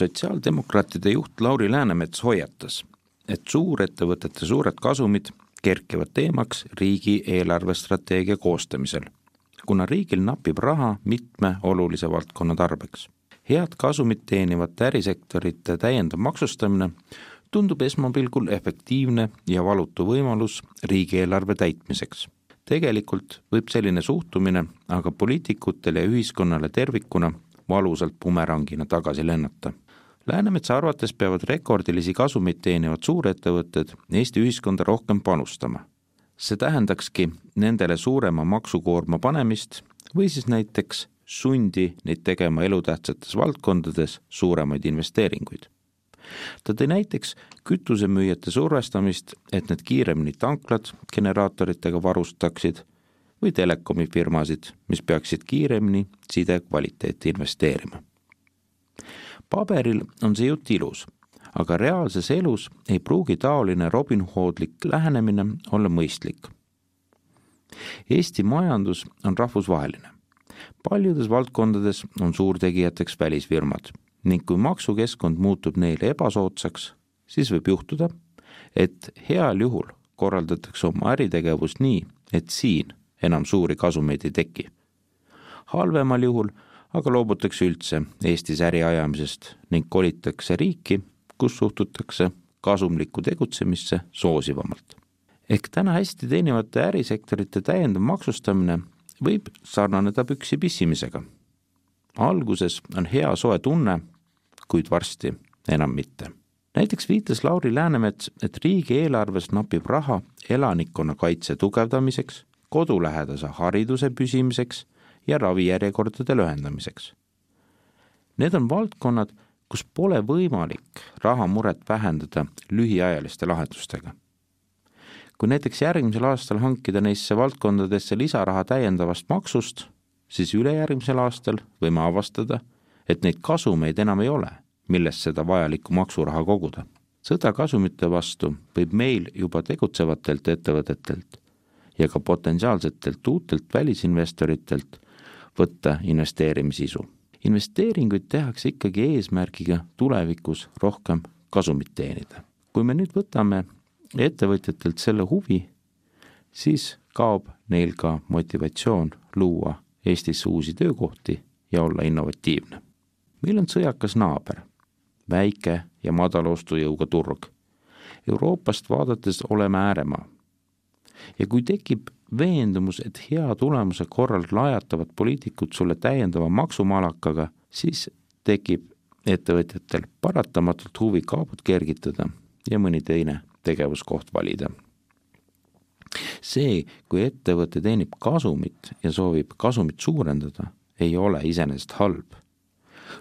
Sotsiaaldemokraatide juht Lauri Läänemets hoiatas, et suurettevõtete suured kasumid kerkivad teemaks riigi eelarvestrateegia koostamisel, kuna riigil napib raha mitme olulise valdkonna tarbeks. Head kasumit teenivate ärisektorite täiendav maksustamine tundub esmapilgul efektiivne ja valutu võimalus riigieelarve täitmiseks. Tegelikult võib selline suhtumine aga poliitikutele ja ühiskonnale tervikuna valusalt bumerangina tagasi lennata. Läänemetsa arvates peavad rekordilisi kasumeid teenivad suurettevõtted Eesti ühiskonda rohkem panustama. See tähendakski nendele suurema maksukoorma panemist või siis näiteks sundi neid tegema elutähtsates valdkondades suuremaid investeeringuid. Ta tõi näiteks kütusemüüjate survestamist, et need kiiremini tanklad generaatoritega varustaksid või telekomifirmasid, mis peaksid kiiremini side kvaliteeti investeerima. Paberil on see jutt ilus, aga reaalses elus ei pruugi taoline robinhoodlik lähenemine olla mõistlik. Eesti majandus on rahvusvaheline. Paljudes valdkondades on suurtegijateks välisfirmad ning kui maksukeskkond muutub neile ebasoodsaks, siis võib juhtuda, et heal juhul korraldatakse oma äritegevust nii, et siin enam suuri kasumeid ei teki. Halvemal juhul aga loobutakse üldse Eestis äri ajamisest ning kolitakse riiki, kus suhtutakse kasumlikku tegutsemisse soosivamalt. Ehk täna hästi teenivate ärisektorite täiendav maksustamine võib sarnaneda püksi pissimisega. Alguses on hea soe tunne, kuid varsti enam mitte. Näiteks viitas Lauri Läänemets, et riigieelarves napib raha elanikkonna kaitse tugevdamiseks, kodulähedase hariduse püsimiseks ja ravijärjekordade lühendamiseks. Need on valdkonnad, kus pole võimalik rahamuret vähendada lühiajaliste lahendustega. Kui näiteks järgmisel aastal hankida neisse valdkondadesse lisaraha täiendavast maksust, siis ülejärgmisel aastal võime avastada, et neid kasumeid enam ei ole, millest seda vajalikku maksuraha koguda. Sõda kasumite vastu võib meil juba tegutsevatelt ettevõtetelt ja ka potentsiaalsetelt uutelt välisinvestoritelt võtta investeerimisisu. Investeeringuid tehakse ikkagi eesmärgiga tulevikus rohkem kasumit teenida. Kui me nüüd võtame ettevõtjatelt selle huvi, siis kaob neil ka motivatsioon luua Eestis uusi töökohti ja olla innovatiivne. Meil on sõjakas naaber, väike ja madalostujõuga turg. Euroopast vaadates oleme ääremaa. Ja kui tekib veendumus, et hea tulemuse korral lajatavad poliitikud sulle täiendava maksumalakaga, siis tekib ettevõtjatel paratamatult huvi kaabut kergitada ja mõni teine tegevuskoht valida. See, kui ettevõte teenib kasumit ja soovib kasumit suurendada, ei ole iseenesest halb.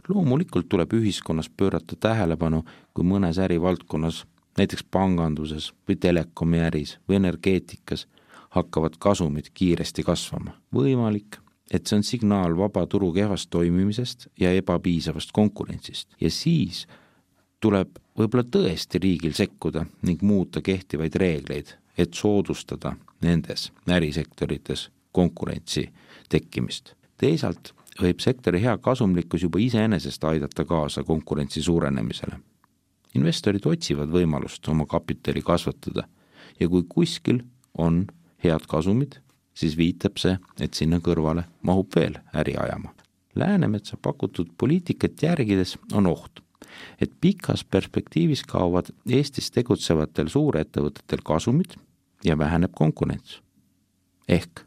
Loomulikult tuleb ühiskonnas pöörata tähelepanu, kui mõnes ärivaldkonnas, näiteks panganduses või telekomi äris või energeetikas, hakkavad kasumid kiiresti kasvama. Võimalik, et see on signaal vaba turu kehvast toimimisest ja ebapiisavast konkurentsist. Ja siis tuleb võib-olla tõesti riigil sekkuda ning muuta kehtivaid reegleid, et soodustada nendes ärisektorites konkurentsi tekkimist. Teisalt võib sektori hea kasumlikkus juba iseenesest aidata kaasa konkurentsi suurenemisele. Investorid otsivad võimalust oma kapitali kasvatada ja kui kuskil on head kasumid, siis viitab see, et sinna kõrvale mahub veel äri ajama. Läänemetsa pakutud poliitikat järgides on oht, et pikas perspektiivis kaovad Eestis tegutsevatel suurettevõtetel kasumid ja väheneb konkurents. Ehk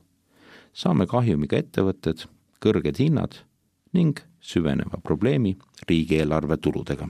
saame kahjumiga ettevõtted, kõrged hinnad ning süveneva probleemi riigieelarve tuludega.